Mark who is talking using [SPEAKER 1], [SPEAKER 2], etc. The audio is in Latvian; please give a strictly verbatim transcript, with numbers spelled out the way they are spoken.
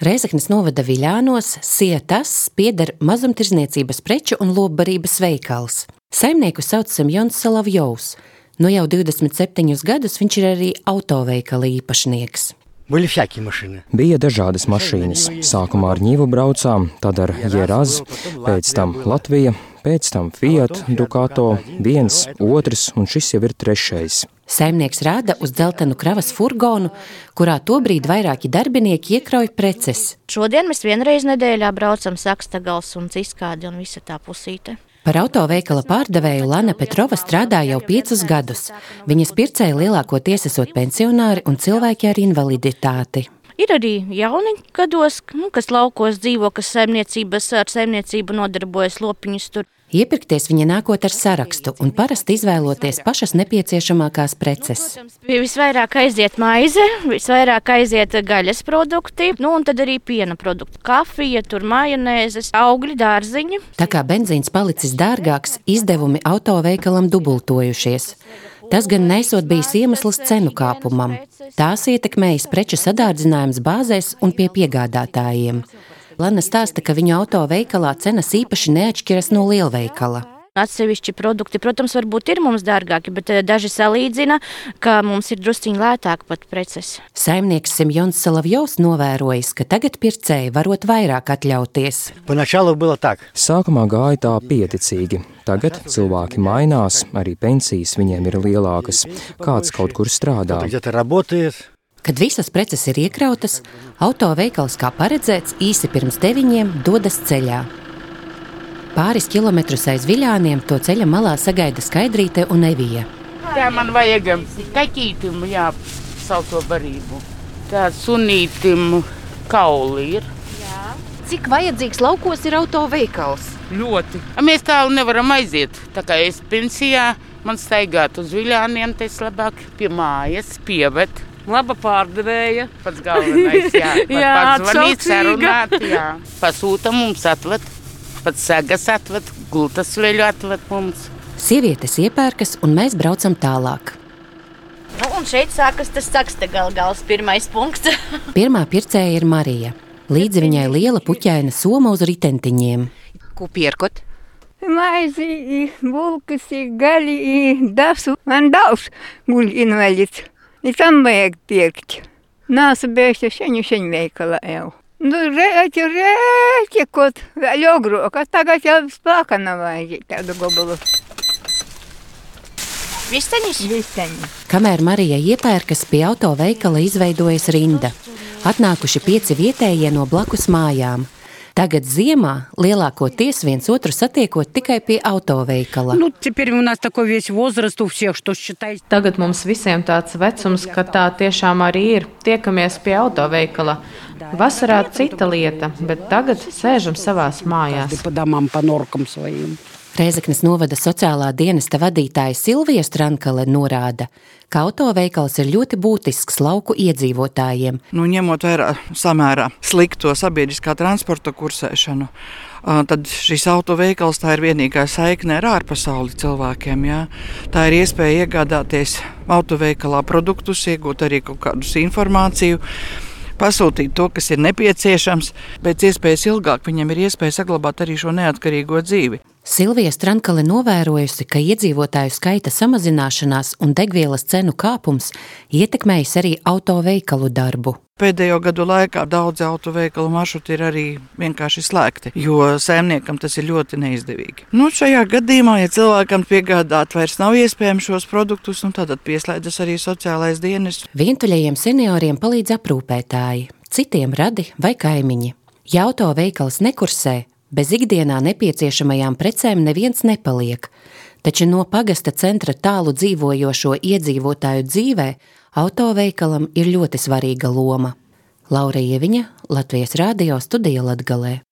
[SPEAKER 1] Rēzeknes novada Viļānos Sietas pieder mazumtirdzniecības preču un lopbarības veikals. Saimnieku sauc Semjons Solovjovs. Nu jau divdesmit septiņus gadus viņš ir arī autoveikala īpašnieks.
[SPEAKER 2] Bija dažādas mašīnas. Sākumā ar Ņivu braucām, tad ar Jeraz, pēc tam Latvija, pēc tam Fiat, Ducato, viens, otrs un šis jau ir trešais.
[SPEAKER 1] Saimnieks rāda uz dzeltenu kravas furgonu, kurā tobrīd vairāki darbinieki iekrauj preces.
[SPEAKER 3] Šodien mēs vienreiz nedēļā braucam Sakstagals un Ciskādi un visa tā pusīte.
[SPEAKER 1] Par autoveikala pārdevēju Lana Petrova strādā jau piecus gadus. Viņas pircēji lielākoties esot pensionāri un cilvēki ar invaliditāti.
[SPEAKER 3] Ir arī jauni gados, nu, kas laukos dzīvo, kas saimniecības ar saimniecību nodarbojas, lopiņus tur.
[SPEAKER 1] Iepirkties viņa nākot ar sarakstu un parasti izvēloties pašas nepieciešamākās preces.
[SPEAKER 3] Nu, protams, visvairāk aiziet maize, visvairāk aiziet gaļas produkti, nu un tad arī piena produkti. Kafija, tur majonēzes, augļi, dārziņi.
[SPEAKER 1] Tā kā benzīns palicis dārgāks, izdevumi autoveikalam dubultojušies. Tas gan nesot bijis iemesls cenu kāpumam. Tās ietekmējas preču sadārdzinājums bāzēs un pie piegādātājiem. Lana stāsta, ka viņu autoveikalā cenas īpaši neatšķiras no lielveikala.
[SPEAKER 3] Atsevišķi produkti, protams, varbūt ir mums dārgāki, bet daži salīdzina, ka mums ir drusciņi lētāk pat preces.
[SPEAKER 1] Saimnieks Semjons Solovjovs novērojis, ka tagad pircēji varot vairāk atļauties.
[SPEAKER 2] Sākumā gāja tā pieticīgi. Tagad cilvēki mainās, arī pensijas viņiem ir lielākas. Kāds kaut kur strādā.
[SPEAKER 1] Kad visas preces ir iekrautas, autoveikals, kā paredzēts, īsi pirms deviņiem dodas ceļā. Pāris kilometrus aiz Viļāniem to ceļa malā sagaida Skaidrīte un Evija.
[SPEAKER 4] Tā man vajag kaķītim, jā, salto barību. Tā sunītim kauli ir.
[SPEAKER 5] Jā. Cik vajadzīgs laukos ir autoveikals?
[SPEAKER 4] Ļoti. Mēs tālu nevaram aiziet. Tā kā es pensijā, man staigāt uz Viļāniem, tas labāk pie mājas, pieved.
[SPEAKER 6] Laba pārdevēja.
[SPEAKER 4] Pats galvenais, jā.
[SPEAKER 6] Jā,
[SPEAKER 4] pats zvanīt,
[SPEAKER 6] atsaucīga.
[SPEAKER 4] sarunāt, jā. Pasūta mums atved, pats sagas atved, gultas veļu atved mums.
[SPEAKER 1] Sievietes iepērkas un mēs braucam tālāk.
[SPEAKER 3] Nu, un šeit sākas tas Sakstagals pirmais punkts.
[SPEAKER 1] Pirmā pircēja ir Marija. Līdzi viņai liela puķaina soma uz ritentiņiem.
[SPEAKER 5] Ko pierkot?
[SPEAKER 7] Maizi, bulkas, gaļi, dasu. Man daudz guļ invalīds. I tam vajag pirkt. Nāsu bēgti šeņu šeņu veikalā jau. Nu, rēķi, rēķi, kaut vēl ogrok, tagad jau spāka nav vajag tādu gobalu.
[SPEAKER 3] Visteņus?
[SPEAKER 7] Visteņus.
[SPEAKER 1] Kamēr Marija iepērkas, pie autoveikala izveidojas rinda. Atnākuši pieci vietējie no blakus mājām. Tagad ziemā lielākoties viens otru satiekot tikai pie autoveikala.
[SPEAKER 6] Nu, у нас такой весь возраст у всех, что считай.
[SPEAKER 8] Tagad mums visiem tāds vecums, ka tā tiešām arī ir. Tiekamies pie autoveikala. Vasarā cita lieta, bet tagad sēžam savās mājās.
[SPEAKER 6] По домам, по норкам своим.
[SPEAKER 1] Rēzeknes novada sociālā dienesta vadītāja Silvija Strankale norāda, ka autoveikals ir ļoti būtisks lauku iedzīvotājiem.
[SPEAKER 9] Nu, ņemot vērā samērā slikto sabiedriskā transporta kursēšanu, tad šis autoveikals tā ir vienīgā saikne ar ārpasauli cilvēkiem. Jā. Tā ir iespēja iegādāties autoveikalā produktus, iegūt arī kaut kādus informāciju, pasūtīt to, kas ir nepieciešams, pēc iespējas ilgāk viņam ir iespēja saglabāt arī šo neatkarīgo dzīvi.
[SPEAKER 1] Silvija Strankale novērojusi, ka iedzīvotāju skaita samazināšanās un degvielas cenu kāpums ietekmējis arī autoveikalu darbu.
[SPEAKER 9] Pēdējo gadu laikā daudzi autoveikalu maršruti ir arī vienkārši slēgti, jo saimniekam tas ir ļoti neizdevīgi. Nu, šajā gadījumā, ja cilvēkam piegādāt vairs nav iespējams šos produktus, nu, tad pieslēdzas arī sociālais dienests.
[SPEAKER 1] Vientuļajiem senioriem palīdz aprūpētāji, citiem radi vai kaimiņi. Ja autoveikals nekursē, bez ikdienā nepieciešamajām precēm neviens nepaliek, taču no pagasta centra tālu dzīvojošo iedzīvotāju dzīvē autoveikalam ir ļoti svarīga loma. Laura Ieviņa, Latvijas Rādio studija Latgalē.